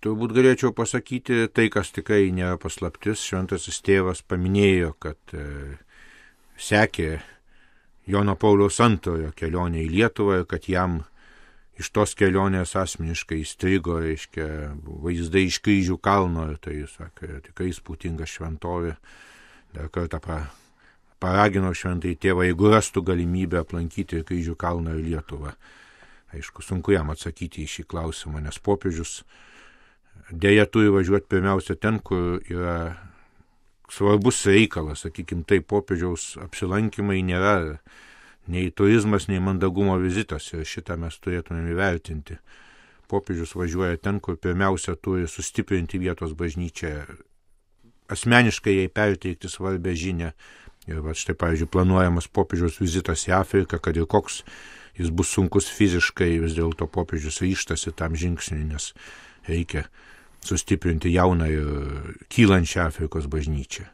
Turbūt galėčiau pasakyti tai, kas tikrai nėra paslaptis. Šventasis tėvas paminėjo, kad sekė Jono Pauliaus II kelionė į Lietuvą ir kad jam iš tos kelionės asmeniškai įstrigo, reiškia, vaizdai iš Kryžių kalno, ir tai, sakė, tikrai įspūdinga šventovė. Dar kartą paragino šventai tėvą, jeigu rastų galimybę aplankyti Kryžių kalną ir Lietuvą. Aišku, sunku jam atsakyti į šį klausimą, nes popiežius dėja turi važiuoti pirmiausia ten, kur yra svarbus reikalas, sakykime, tai popiežiaus apsilankymai nėra nei turizmas, nei mandagumo vizitas ir šitą mes turėtumėm įvertinti. Popiežius važiuoja ten, kur pirmiausia turi sustiprinti vietos bažnyčią, asmeniškai jai perteikti svarbę žinią. Ir va štai, pavyzdžiui, planuojamas popiežiaus vizitas į Afriką, kad ir koks jis bus sunkus fiziškai, vis dėlto popiežius ryžtasi tam žingsniui, nes reikia sustiprinti jauną ir kylančią Afrikos bažnyčią.